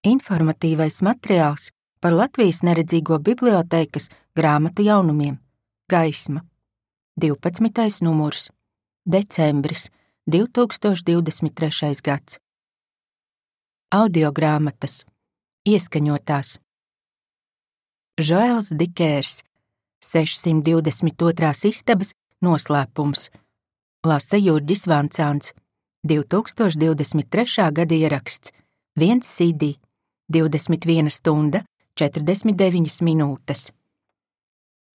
Informatīvais materiāls par Latvijas neredzīgo bibliotēkas grāmatu jaunumiem. Gaisma. 12. numurs. Decembris 2023. gads. Audiogrāmatas. Ieskaņotās. Žoels Dikērs. 622. istabas noslēpums. Lasa Jurģis Vancāns. 2023. gada ieraksts. 1 CD. 21 stunda, 49 minūtes.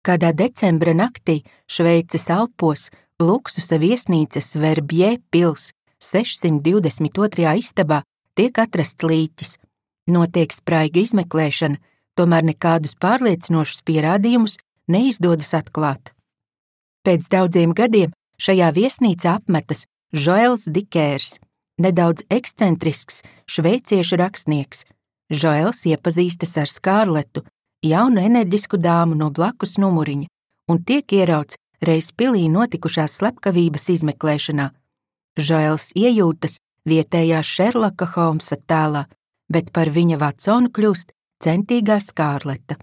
Kādā decembra naktī Šveices Alpos luksusa viesnīcas Verbier pils 622. istabā tiek atrasts līķis. Notiek spraiga izmeklēšana, tomēr nekādus pārliecinošus pierādījumus neizdodas atklāt. Pēc daudziem gadiem šajā viesnīcā apmetas Žoels Dikērs, nedaudz ekscentrisks šveiciešu rakstnieks. Žoels iepazīstas ar Skārletu, jaunu enerģisku dāmu no blakus numuriņa, un tiek ierauts reiz pilī notikušās slepkavības izmeklēšanā. Žoels iejūtas vietējā Šerloka Holmsa tēlā, bet par viņa Vatsonu kļūst centīgā Skārleta.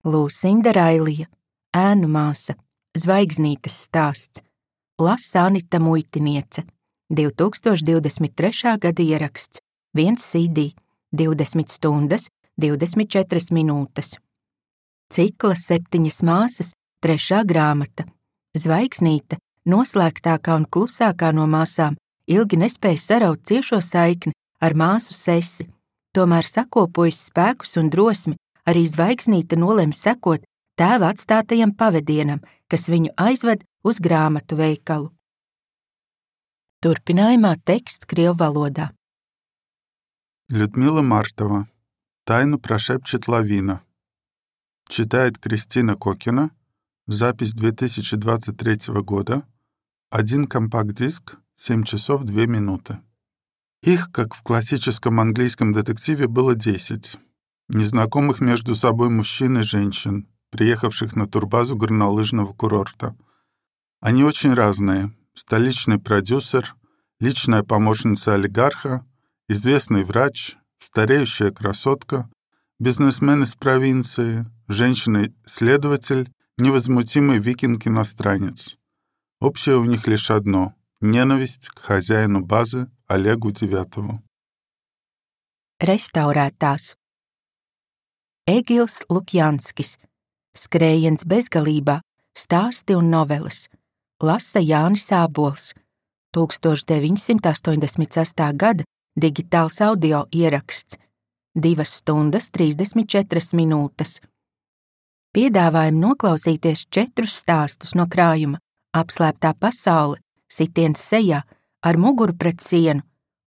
Lūsinda Railija, ēnu māsa, Zvaigznītes stāsts, lasa Anita Muitiniece, 2023. gada ieraksts, 1 CD, 20 stundas, 24 minūtes. Cikla 7 māsas, 3. grāmata. Zvaigznīte, noslēgtākā un klusākā no māsām, ilgi nespēja saraut ciešo saikni ar māsu Sesi. Tomēr sakopojas spēkus un drosmi, arī Zvaigznīte nolem sekot tēva atstātajam pavedienam, kas viņu aizved uz grāmatu veikalu. Turpinājumā teksts krievu valodā. Людмила Мартова. Тайну прошепчет лавина. Читает Кристина Кокина. Запись 2023 года. 1 компакт-диск, 7 часов 2 минуты. Их, как в классическом английском детективе, было 10. Незнакомых между собой мужчин и женщин, приехавших на турбазу горнолыжного курорта. Они очень разные. Столичный продюсер, личная помощница олигарха, известный врач, стареющая красотка, бизнесмен из провинции, женщина-следователь, невозмутимый викинг-иностранец. Общее у них лишь одно — ненависть к хозяину базы Олегу Девятову. Restaurētās. Egils Lukjanskis. Skrējiens bezgalībā, stāsti un noveles. Lasa Jānis Ābols. 1986. gada digitāls audio ieraksts. 2 stundas, 34 minūtes. Piedāvājam noklausīties 4 stāstus no krājuma: Apslēptā pasaule, Sitiens sejā, Ar muguru pret sienu,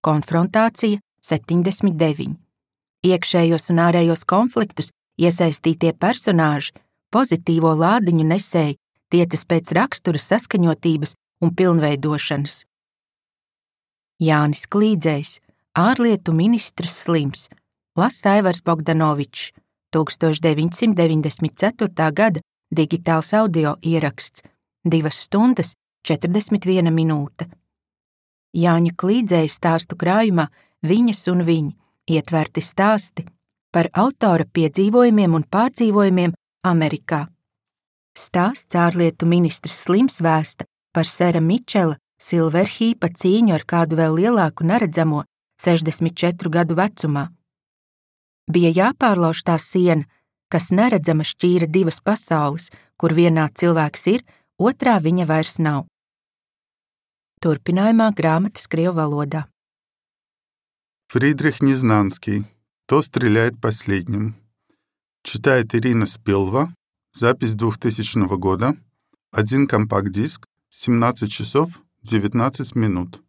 Konfrontācija 79. Iekšējos un ārējos konfliktus iesaistītie personāži, pozitīvo lādiņu nesēji, tiecas pēc rakstura saskaņotības un pilnveidošanas. Jānis Klīdzējs, ārlietu ministrs slims, lasa Aivars Bogdanovičs, 1994. gada digitāls audio ieraksts, 2 stundas, 41 minūte. Jāņa Klīdzēja stāstu krājumā Viņas un viņi ietverti stāsti par autora piedzīvojumiem un pārdzīvojumiem Amerikā. Stāsts ārlietu ministrs slims vēsta par sera Mičela Silverhīpa cīņu ar kādu vēl lielāku neredzamo 64 gadu vecumā. Bija jāpārlauž tā siena, kas neredzama šķīra 2 pasaules, kur vienā cilvēks ir, otrā viņa vairs nav. Turpinājumā grāmatas krievu валода. Фридрих Незнанский. Кто стреляет последним? Читает Ирина Спилва. Запись 2000 года. 1 компакт-диск, 17 часов 19 минут.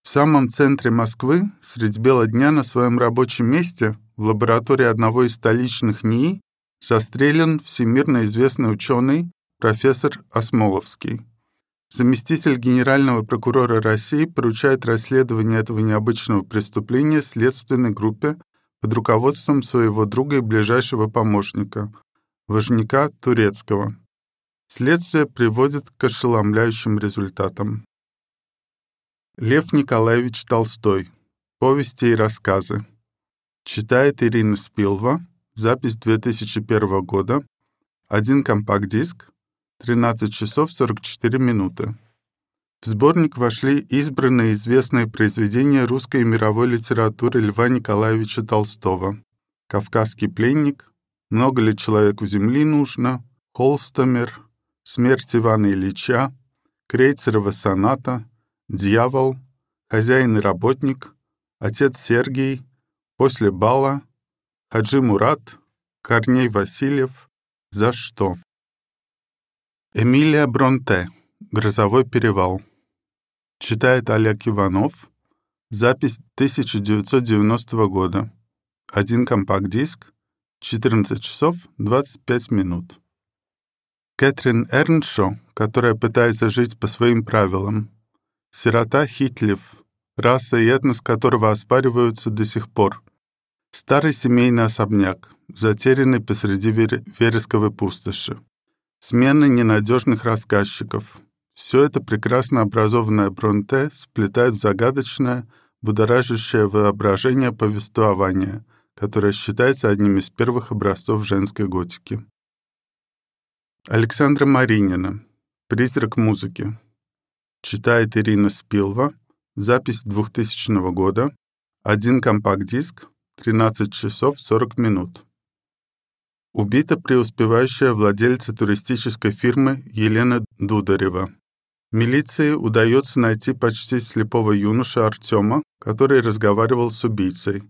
В самом центре Москвы, средь бела дня на своем рабочем месте, в лаборатории одного из столичных НИИ, застрелен всемирно известный ученый профессор Осмоловский. Заместитель генерального прокурора России поручает расследование этого необычного преступления следственной группе под руководством своего друга и ближайшего помощника, Важняка Турецкого. Следствие приводит к ошеломляющим результатам. Лев Николаевич Толстой. Повести и рассказы. Читает Ирина Спилва. Запись 2001 года. 1 компакт-диск. 13 часов 44 минуты. В сборник вошли избранные известные произведения русской и мировой литературы Льва Николаевича Толстого: «Кавказский пленник», «Много ли человеку земли нужно», «Холстомер», «Смерть Ивана Ильича», Крейцерова соната, «Дьявол», «Хозяин и работник», «Отец Сергий», «После бала», «Хаджи Мурат», Корней Васильев, «За что?». Эмилия Бронте. «Грозовой перевал». Читает Олег Иванов. Запись 1990 года. 1 компакт-диск. 14 часов 25 минут. Кэтрин Эрншо, которая пытается жить по своим правилам. Сирота Хитлев, раса и этнос которого оспариваются до сих пор. Старый семейный особняк, затерянный посреди вересковой пустоши. Смена ненадежных рассказчиков. Все это прекрасно образованное Бронте сплетает в загадочное, будоражащее воображение повествование, которое считается одним из первых образцов женской готики. Александра Маринина. «Призрак музыки». Читает Ирина Спилва. Запись 2000 года. 1 компакт-диск. 13 часов 40 минут. Убита преуспевающая владельца туристической фирмы Елена Дударева. Милиции удается найти почти слепого юношу Артема, который разговаривал с убийцей.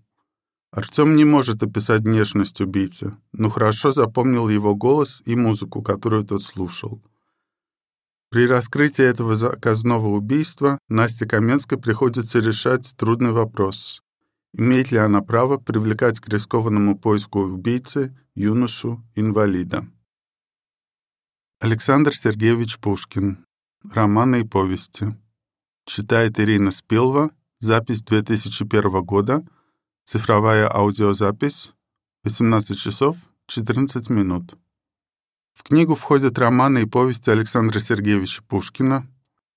Артем не может описать внешность убийцы, но хорошо запомнил его голос и музыку, которую тот слушал. При раскрытии этого заказного убийства Насте Каменской приходится решать трудный вопрос: имеет ли она право привлекать к рискованному поиску убийцы юношу-инвалида. Александр Сергеевич Пушкин. Романы и повести. Читает Ирина Спилва. Запись 2001 года. Цифровая аудиозапись. 18 часов 14 минут. В книгу входят романы и повести Александра Сергеевича Пушкина,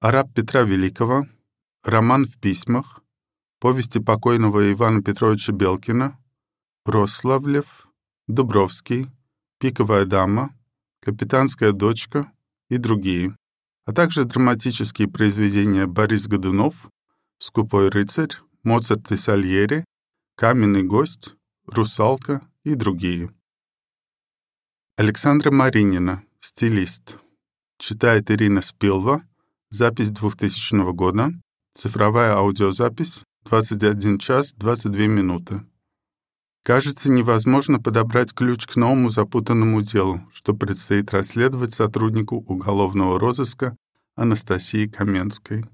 «Араб Петра Великого», «Роман в письмах», повести покойного Ивана Петровича Белкина, «Рославлев», «Дубровский», «Пиковая дама», «Капитанская дочка» и другие, а также драматические произведения Борис Годунов, «Скупой рыцарь», «Моцарт и Сальери», «Каменный гость», «Русалка» и другие. Александра Маринина. Стилист. Читает Ирина Спилва. Запись 2000 года. Цифровая аудиозапись. 21 час 22 минуты. Кажется, невозможно подобрать ключ к новому запутанному делу, что предстоит расследовать сотруднику уголовного розыска Анастасии Каменской.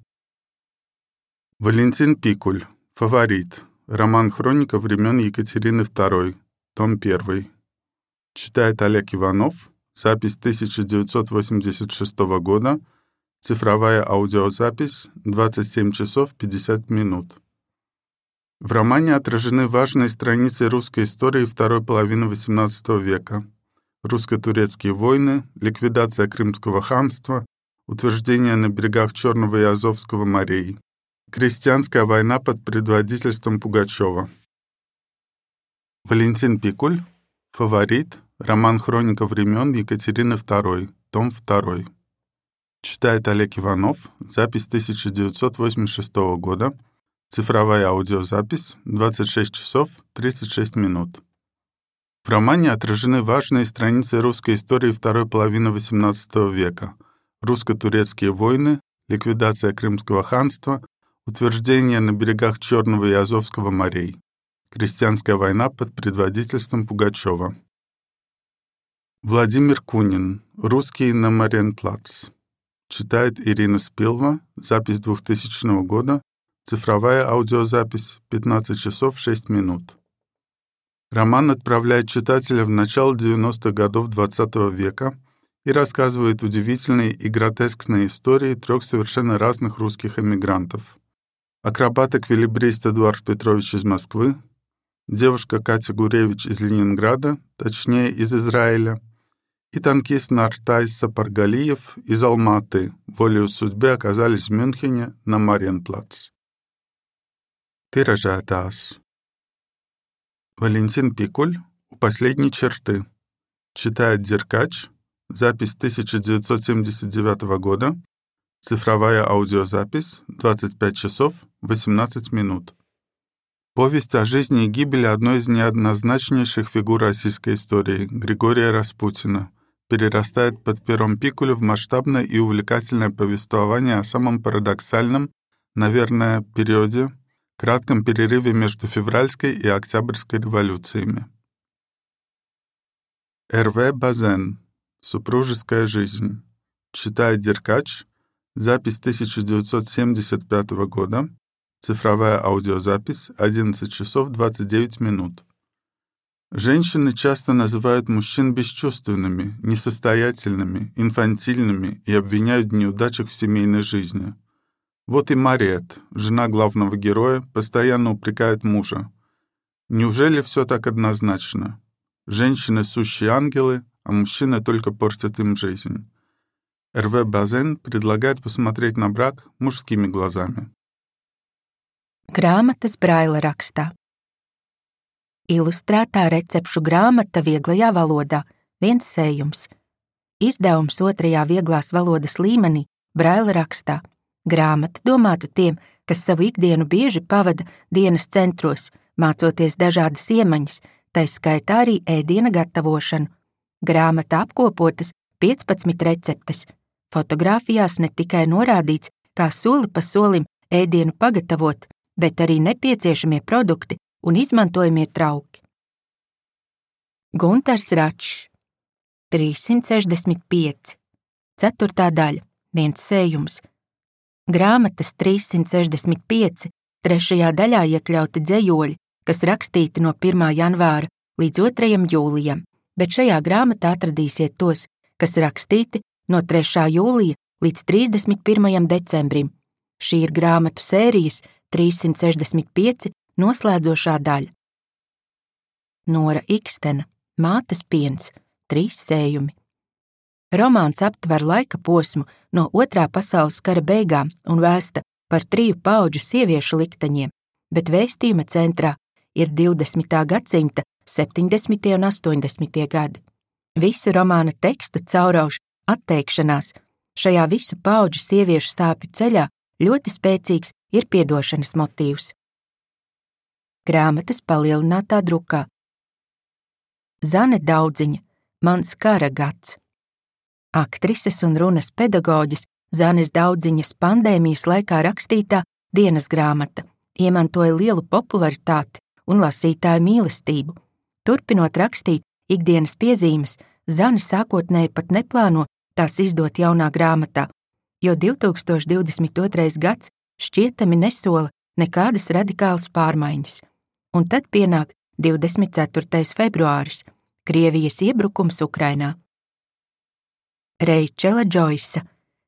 Валентин Пикуль. Фаворит. Роман «Хроника времен Екатерины II», том 1. Читает Олег Иванов. Запись 1986 года. Цифровая аудиозапись. 27 часов 50 минут. В романе отражены важные страницы русской истории второй половины XVIII века. Русско-турецкие войны, ликвидация Крымского ханства, утверждение на берегах Черного и Азовского морей, крестьянская война под предводительством Пугачева. Валентин Пикуль. Фаворит. Роман «Хроника времен Екатерины II», том 2. Читает Олег Иванов. Запись 1986 года. Цифровая аудиозапись. 26 часов 36 минут. В романе отражены важные страницы русской истории второй половины XVIII века. Русско-турецкие войны, ликвидация Крымского ханства, утверждение на берегах Черного и Азовского морей, крестьянская война под предводительством Пугачева. Владимир Кунин. Русский на Мариенплац. Читает Ирина Спилва. Запись 2000 года. Цифровая аудиозапись. 15 часов 6 минут. Роман отправляет читателя в начало 90-х годов XX века и рассказывает удивительные и гротескные истории 3 совершенно разных русских эмигрантов. Акробат-эквилибрист Эдуард Петрович из Москвы, девушка Катя Гуревич из Ленинграда, точнее из Израиля, и танкист Нартай Сапаргалиев из Алматы волею судьбы оказались в Мюнхене на Мариенплац. Тиражиотаж. Валентин Пикуль «У последней черты». Читает Деркач. Запись 1979 года. Цифровая аудиозапись 25 часов 18 минут. Повесть о жизни и гибели одной из неоднозначнейших фигур российской истории, Григория Распутина, перерастает под пером Пикуля в масштабное и увлекательное повествование о самом парадоксальном, наверное, периоде, кратком перерыве между февральской и октябрьской революциями. Р.В. Базен. Супружеская жизнь. Читает Деркач. Запись 1975 года. Цифровая аудиозапись 11 часов 29 минут. Женщины часто называют мужчин бесчувственными, несостоятельными, инфантильными и обвиняют в неудачах в семейной жизни. Вот и Мариет, жена главного героя, постоянно упрекает мужа. Неужели все так однозначно? Женщины — сущие ангелы, а мужчины только портят им жизнь. Р.В. Базен предлагает посмотреть на брак мужскими глазами. Grāmatas Braila rakstā. Ilustrētā recepšu grāmata vieglajā valodā, viens sējums. Izdevums 2. vieglās valodas līmenī Braila rakstā. Grāmata domāta tiem, kas savu ikdienu bieži pavada dienas centros, mācoties dažādas iemaņas, tai skaitā arī ēdiena gatavošanu. Grāmata apkopotas 15 receptes. Fotogrāfijās ne tikai norādīts, kā soli pa solim ēdienu pagatavot, bet arī nepieciešamie produkti un izmantojamie trauki. Guntars Račs. 365. 4. daļa. Viens sējums. Grāmatas 365. 3. daļā iekļauti dzejoļi, kas rakstīti no 1. janvāra līdz 2. jūlijam, bet šajā grāmatā atradīsiet tos, kas rakstīti no 3. jūlija līdz 31. decembrim. Šī ir grāmatu sērijas 365 noslēdzošā daļa. Nora Ikstena, Mātes piens, 3 sējumi. Romāns aptver laika posmu no 2. pasaules kara beigām un vēsta par 3 paudžu sieviešu likteņiem, bet vēstījuma centrā ir 20. gadsimta 70. un 80. gadi. Visu romāna tekstu caurauž atteikšanās. Šajā visu paudžu sieviešu sāpju ceļā ļoti spēcīgs ir piedošanas motīvs. Grāmatas palielinātā drukā. Zane Daudziņa, Mans kara gads. Aktrises un runas pedagoģes Zanes Daudziņas pandēmijas laikā rakstītā dienas grāmata iemantoja lielu popularitāti un lasītāju mīlestību. Turpinot rakstīt ikdienas piezīmes, Zane sākotnēji pat neplāno tās izdot jaunā grāmatā, jo 2022. gads šķietami nesola nekādas radikālas pārmaiņas. Un tad pienāk 24. februāris, Krievijas iebrukums Ukrainā. Reičela Džoisa,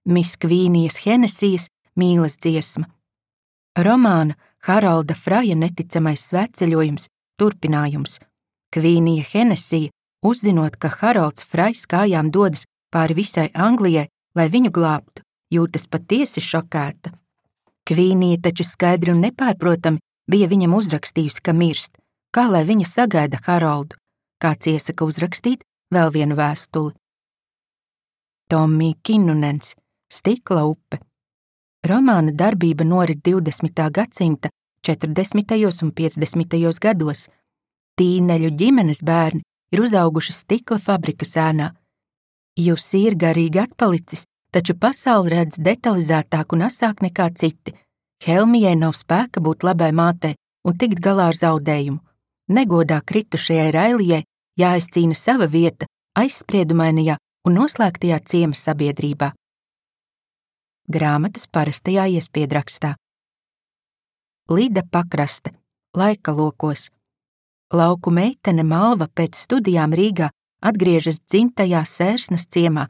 Miss Kvīnijas Henesijas mīlas dziesma. Romāna Harolda Fraja neticamais svētceļojums turpinājums. Kvīnija Henesija, uzzinot, ka Harolds Frajs kājām dodas pāri visai Anglijai, lai viņu glābtu, jūtas patiesi šokēta. Kvīnija taču skaidri un nepārprotami bija viņam uzrakstījusi, ka mirst, kā lai viņa sagaida Haroldu, kāds iesaka uzrakstīt vēl vienu vēstuli. Tommy Kinnunens, Stikla upe. Romāna darbība norit 20. gadsimta 40. un 50. gados. Tīneļu ģimenes bērni ir uzauguši stikla fabrikas ēnā. Jusi ir garīgi atpalicis, taču pasauli redz detalizētāk un asāk nekā citi. Helmijai nav spēka būt labai mātei un tikt galā ar zaudējumu. Negodā kritušajai Railijai jāizcīna sava vieta aizspriedumainajā un noslēgtajā ciema sabiedrībā. Grāmatas parastajā iespiedrakstā. Lida Pakraste, Laika lokos. Lauku meitene Malva pēc studijām Rīgā atgriežas dzimtajā Sērsnas ciemā.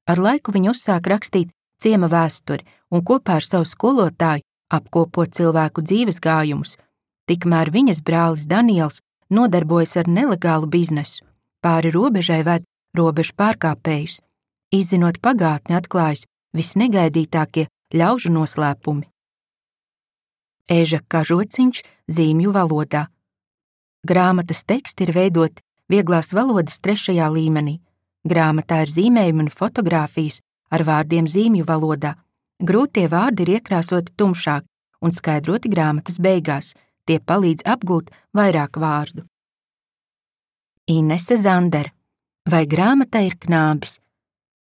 Ar laiku viņa uzsāk rakstīt ciema vēsturi un kopā ar savu skolotāju apkopo cilvēku dzīves gājumus. Tikmēr viņas brālis Daniels nodarbojas ar nelegālu biznesu. Pāri robežai ved robežu pārkāpējus. Izzinot pagātni, atklājas visnegaidītākie ļaužu noslēpumi. Eža Kažociņš zīmju valodā. Grāmatas teksti ir veidoti vieglās valodas 3. līmenī. Grāmatā ir zīmējumi un fotogrāfijas ar vārdiem zīmju valodā. Grūtie vārdi ir iekrāsoti tumšāk un skaidroti grāmatas beigās. Tie palīdz apgūt vairāk vārdu. Inese Zandere. Vai grāmatā ir knābis?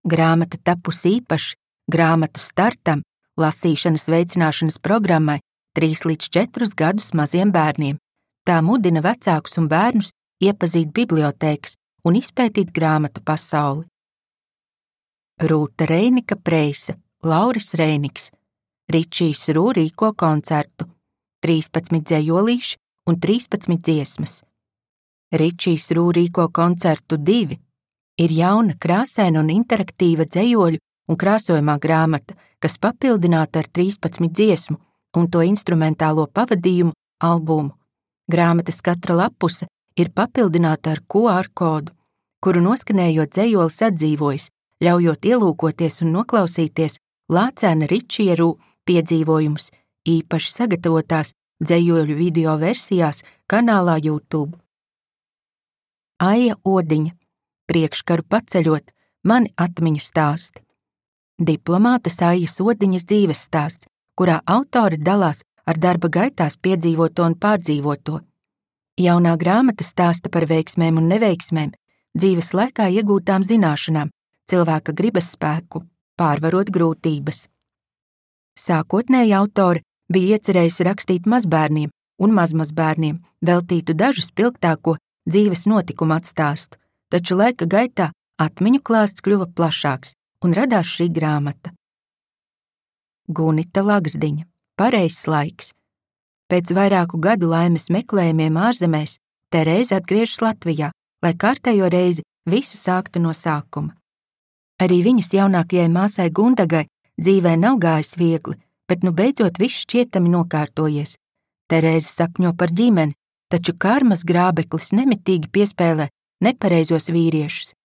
Grāmata tapusi īpaši grāmatu startam, lasīšanas veicināšanas programmai 3 līdz 4 gadus maziem bērniem. Tā mudina vecākus un bērnus iepazīt bibliotēkas un izpētīt grāmatu pasauli. Rūta Reinika Preise, Lauris Reiniks. Ričijs Rū rīko koncertu. 13 dzejolīši un 13 dziesmas. Ričijs Rū rīko koncertu 2. Ir jauna, krāsaina un interaktīva dzejoļu un krāsojumā grāmata, kas papildināta ar 13 dziesmu un to instrumentālo pavadījumu albumu. Grāmatas katra lapuse ir papildināta ar QR kodu, kuru noskanējot dzejolis atdzīvojas, ļaujot ielūkoties un noklausīties Lācēna Ričija Rū piedzīvojumus, īpaši sagatavotās dzejoļu video versijās kanālā YouTube. Aija Odiņa. Priekškaru paceļot, mani atmiņu stāsti. Diplomātes Aijas Odiņas dzīves stāsts, kurā autori dalās ar darba gaitās piedzīvoto un pārdzīvoto. Jaunā grāmata stāsta par veiksmēm un neveiksmēm, dzīves laikā iegūtām zināšanām, cilvēka gribas spēku, pārvarot grūtības. Sākotnēji autori bija iecerējusi rakstīt mazbērniem un mazmazbērniem, veltītu dažu spilgtāko dzīves notikumu atstāstu, taču laika gaitā atmiņu klāsts kļuva plašāks un radās šī grāmata. Gunita Lagzdiņa. Pareizs laiks. Pēc vairāku gadu laimes meklējumiem ārzemēs Terēze atgriežas Latvijā, lai kārtējo reizi visu sāktu no sākuma. Arī viņas jaunākajai māsai Gundagai dzīvē nav gājis viegli, bet nu beidzot viss šķietami nokārtojies. Terēze sapņo par ģimeni, taču karmas grābeklis nemitīgi piespēlē nepareizos vīriešus.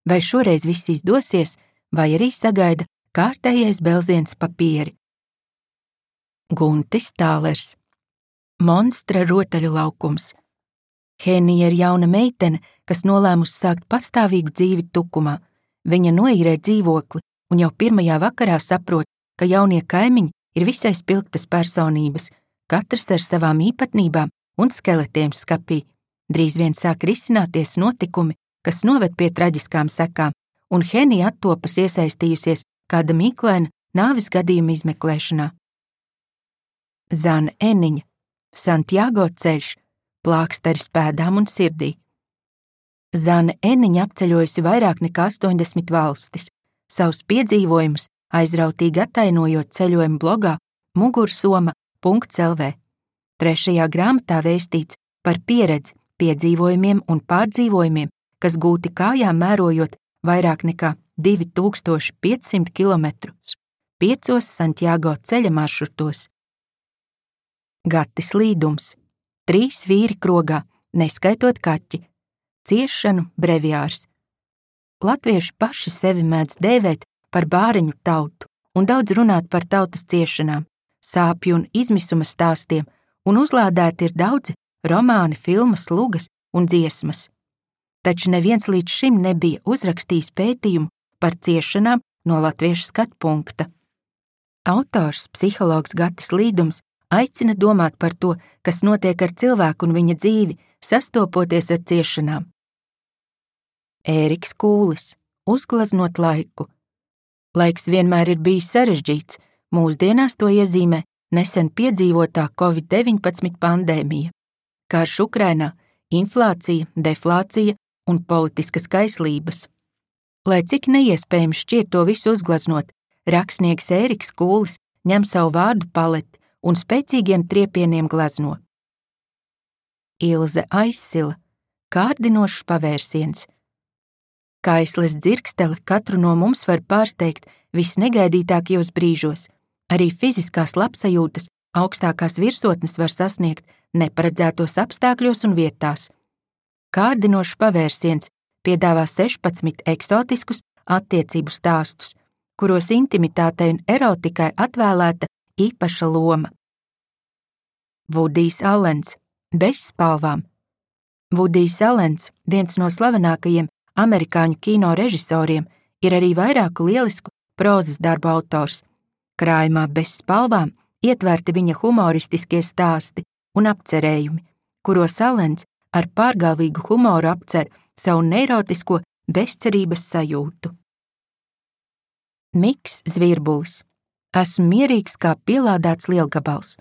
Vai šoreiz viss izdosies, vai arī sagaida kārtējais belziens papīri. Guntis Tālers. Monstra rotaļu laukums. Henija ir jauna meitene, kas nolēmusi sākt pastāvīgu dzīvi Tukumā. Viņa noīrē dzīvokli un jau pirmajā vakarā saprot, ka jaunie kaimiņi ir visai spilgtas personības, katrs ar savām īpatnībām un skeletiem skapī. Drīz vien sāk risināties notikumi, kas noved pie traģiskām sekām, un Henija attopas iesaistījusies kāda mīklaina nāves gadījuma izmeklēšanā. Zana Eniņa. Santiago ceļš, plāksteris pēdām un sirdī. Zana Eniņa apceļojusi vairāk nekā 80 valstis, savus piedzīvojumus aizrautīgi attainojot ceļojumu blogā mugursoma.lv. 3. grāmatā vēstīts par pieredzi, piedzīvojumiem un pārdzīvojumiem, kas gūti kājām mērojot vairāk nekā 2500 kilometrus, 5 Santiago ceļa maršrutos. Gatis Līdums. 3 vīri krogā, neskaitot kaķi. Ciešanu breviārs. Latvieši paši sevi mēdz dēvēt par bāreņu tautu un daudz runāt par tautas ciešanām, sāpju un izmisuma stāstiem, un uzlādēti ir daudzi romāni, filmas, lugas un dziesmas. Taču neviens līdz šim nebija uzrakstījis pētījumu par ciešanām no latviešu skatpunkta. Autors, psihologs Gatis Līdums, aicina domāt par to, kas notiek ar cilvēku un viņa dzīvi, sastopoties ar ciešanām. Ēriks Kūlis. Uzgleznot laiku. Laiks vienmēr ir bijis sarežģīts, mūsdienās to iezīmē nesen piedzīvotā Covid-19 pandēmija. Karš Ukrainā, inflācija, deflācija un politiskas kaislības. Lai cik neiespējams šķiet to visu uzgleznot, rakstnieks Ēriks Kūlis ņem savu vārdu paleti un spēcīgiem triepieniem glezno. Ilze Aizsila. Kārdinošs pavērsiens. Kaisles dzirkstele katru no mums var pārsteigt visnegaidītākajos brīžos. Arī fiziskās labsajūtas augstākās virsotnes var sasniegt neparedzētos apstākļos un vietās. Kārdinošs pavērsiens piedāvā 16 eksotiskus attiecību stāstus, kuros intimitātei un erotikai atvēlēta īpaša loma. Vudijs Allens. Bez spalvām. Vudijs Alens, viens no slavenākajiem amerikāņu kino režisoriem, ir arī vairāku lielisku prozas darbu autors. Krājumā Bez spalvām ietverti viņa humoristiskie stāsti un apcerējumi, kuros Alens ar pārgalvīgu humoru apcer savu neirotisko bezcerības sajūtu. Miks Zvirbulis. Esmu mierīgs kā pielādēts lielgabals.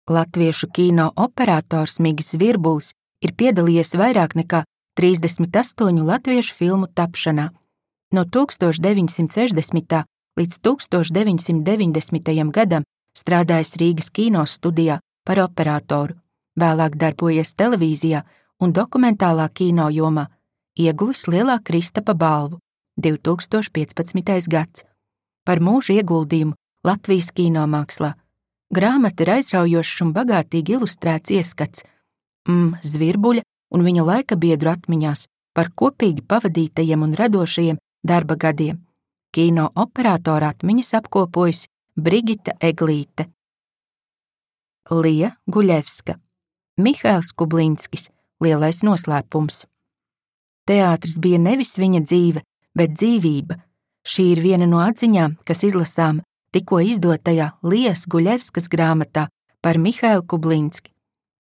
Latviešu kino operators Miks Zvirbulis ir piedalījies vairāk nekā 38 latviešu filmu tapšanā. No 1960. līdz 1990. gadam strādājis Rīgas kino studijā par operatoru, vēlāk darbojies televīzijā un dokumentālā kino jomā, ieguvis Lielā Kristapa balvu 2015. gads. Par mūža ieguldījumu Latvijas kinomākslā. Grāmata ir aizraujošs un bagātīgi ilustrēts ieskats Zvirbuļa un viņa laikabiedru atmiņās par kopīgi pavadītajiem un radošajiem darba gadiem. Kino operatora atmiņas apkopojusi Brigita Eglīte. Lija Guļevska. Mihails Kublinskis. Lielais noslēpums. Teātris bija nevis viņa dzīve, bet dzīvība. Šī ir viena no atziņām, kas izlasām tikko izdotajā Lijas Guļevskas grāmatā par Mihailu Kublinski.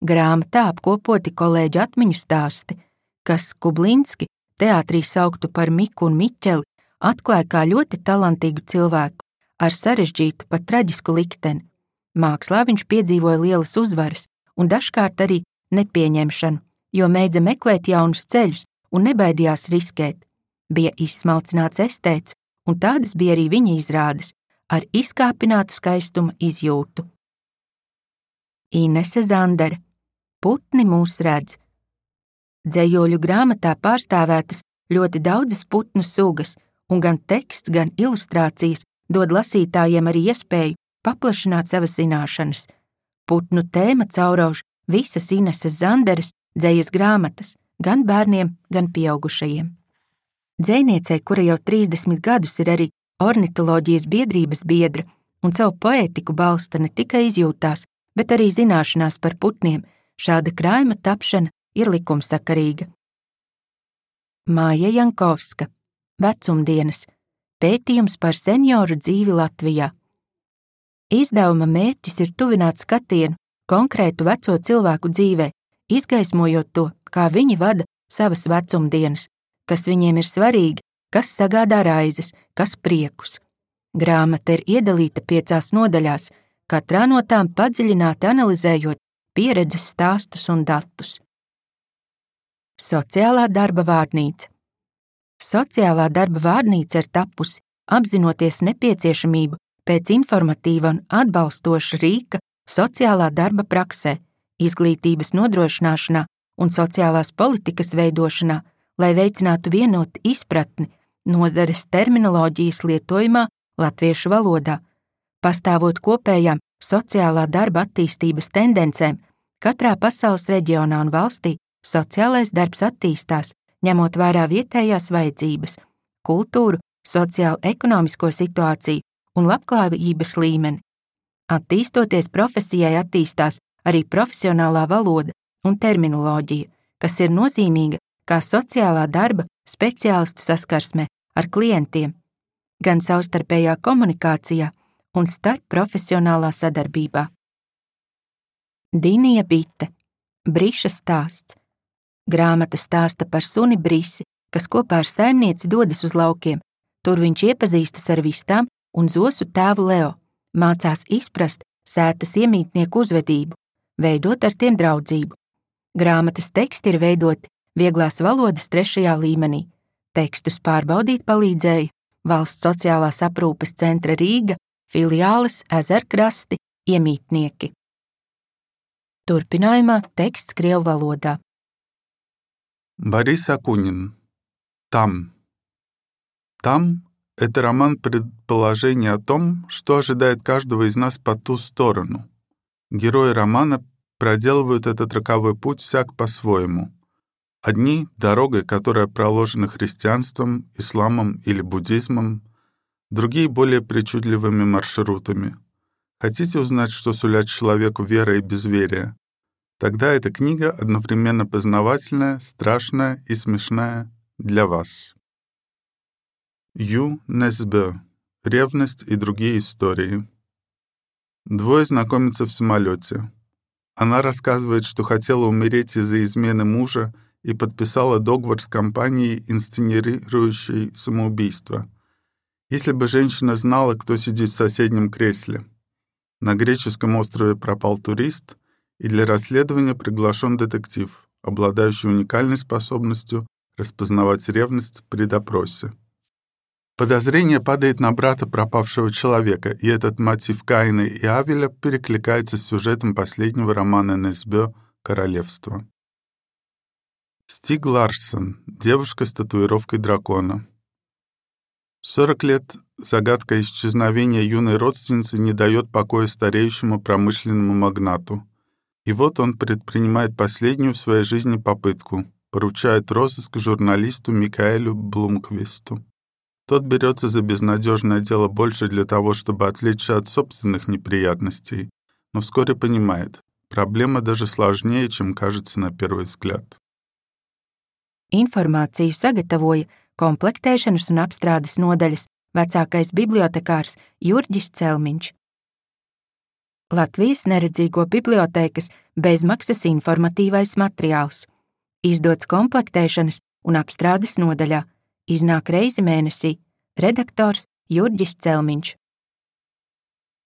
Grāmatā apkopoti kolēģu atmiņu stāsti, kas Kublinski teātrī sauktu par Miku un Miķeli, atklāja kā ļoti talantīgu cilvēku ar sarežģītu, pat traģisku likteni. Mākslā viņš piedzīvoja lielas uzvaras un dažkārt arī nepieņemšanu, jo mēdza meklēt jaunus ceļus un nebaidījās riskēt. Bija izsmalcināts estēts, un tādas bija arī viņa izrādes, ar izkāpinātu skaistuma izjūtu. Inese Zandere. Putni mūs redz. Dzejoļu grāmatā pārstāvētas ļoti daudzas putnu sugas, un gan teksts, gan ilustrācijas dod lasītājiem arī iespēju paplašināt savas zināšanas. Putnu tēma caurauž visas Ineses Zanderes dzejas grāmatas, gan bērniem, gan pieaugušajiem. Dzejniecei, kura jau 30 gadus ir arī ornitoloģijas biedrības biedra un savu poētiku balsta ne tikai izjūtās, bet arī zināšanās par putniem, šāda krājuma tapšana ir likumsakarīga. Māja Jankovska. Vecumdienas. Pētījums par senioru dzīvi Latvijā. Izdevuma mērķis ir tuvināt skatienu konkrētu veco cilvēku dzīvē, izgaismojot to, kā viņi vada savas vecumdienas, kas viņiem ir svarīgi, kas sagādā raizes, kas priekus. Grāmata ir iedalīta 5 nodaļās, katrā no tām padziļināti analizējot pieredzes stāstus un datus. Sociālā darba vārnīca. Sociālā darba vārnīca ir tapusi, apzinoties nepieciešamību pēc informatīva un atbalstoša rīka sociālā darba praksē, izglītības nodrošināšanā un sociālās politikas veidošanā, lai veicinātu vienotu izpratni nozares terminoloģijas lietojumā latviešu valodā, pastāvot kopējām sociālā darba attīstības tendencēm. Katrā pasaules reģionā un valstī sociālais darbs attīstās, ņemot vērā vietējās vajadzības, kultūru, sociālo-ekonomisko situāciju un labklājības līmeni. Attīstoties profesijai attīstās arī profesionālā valoda un terminoloģija, kas ir nozīmīga kā sociālā darba speciālistu saskarsmē ar klientiem, gan savstarpējā komunikācijā un starp profesionālā sadarbībā. Dinija Bite. Briša stāsts. Grāmata stāsta par suni Brisi, kas kopā ar saimnieci dodas uz laukiem. Tur viņš iepazīstas ar vistām un zosu tēvu Leo, mācās izprast sētas iemītnieku uzvedību, veidot ar tiem draudzību. Grāmatas teksti ir veidoti vieglās valodas 3. līmenī. Tekstus pārbaudīt palīdzēja Valsts sociālās aprūpes centra Rīga, filiāles Ezerkrasti, iemītnieki. Turpinājumā teksts krievu valodā. Борис Акунин. Там. Там – это роман предположений о том, что ожидает каждого из нас по ту сторону. Герои романа проделывают этот роковой путь всяк по-своему. Одни – дорогой, которая проложена христианством, исламом или буддизмом, другие – более причудливыми маршрутами. Хотите узнать, что сулят человеку вера и безверие? тогда эта книга одновременно познавательная, страшная и смешная для вас. Ю Несбе. Ревность и другие истории. Двое знакомятся в самолете. Она рассказывает, что хотела умереть из-за измены мужа и подписала договор с компанией, инсценирующей самоубийство. Если бы женщина знала, кто сидит в соседнем кресле. На греческом острове пропал турист, и для расследования приглашен детектив, обладающий уникальной способностью распознавать ревность при допросе. Подозрение падает на брата пропавшего человека, и этот мотив Каина и Авеля перекликается с сюжетом последнего романа Несбе «Королевство». Стиг Ларсон. Девушка с татуировкой дракона. 40 лет загадка исчезновения юной родственницы не дает покоя стареющему промышленному магнату. И вот он предпринимает последнюю в своей жизни попытку, поручает розыск журналисту Микаэлю Блумквисту. Тот берется за безнадежное дело больше для того, чтобы отвлечься от собственных неприятностей, но вскоре понимает, проблема даже сложнее, чем кажется на первый взгляд. Informāciju sagatavoja komplektēšanas un apstrādes nodaļas vecākais bibliotekārs Jurģis Celmiņš. Latvijas neredzīgo bibliotēkas bezmaksas informatīvais materiāls. Izdots komplektēšanas un apstrādes nodaļā. Iznāk reizi mēnesī. Redaktors Jurģis Celmiņš.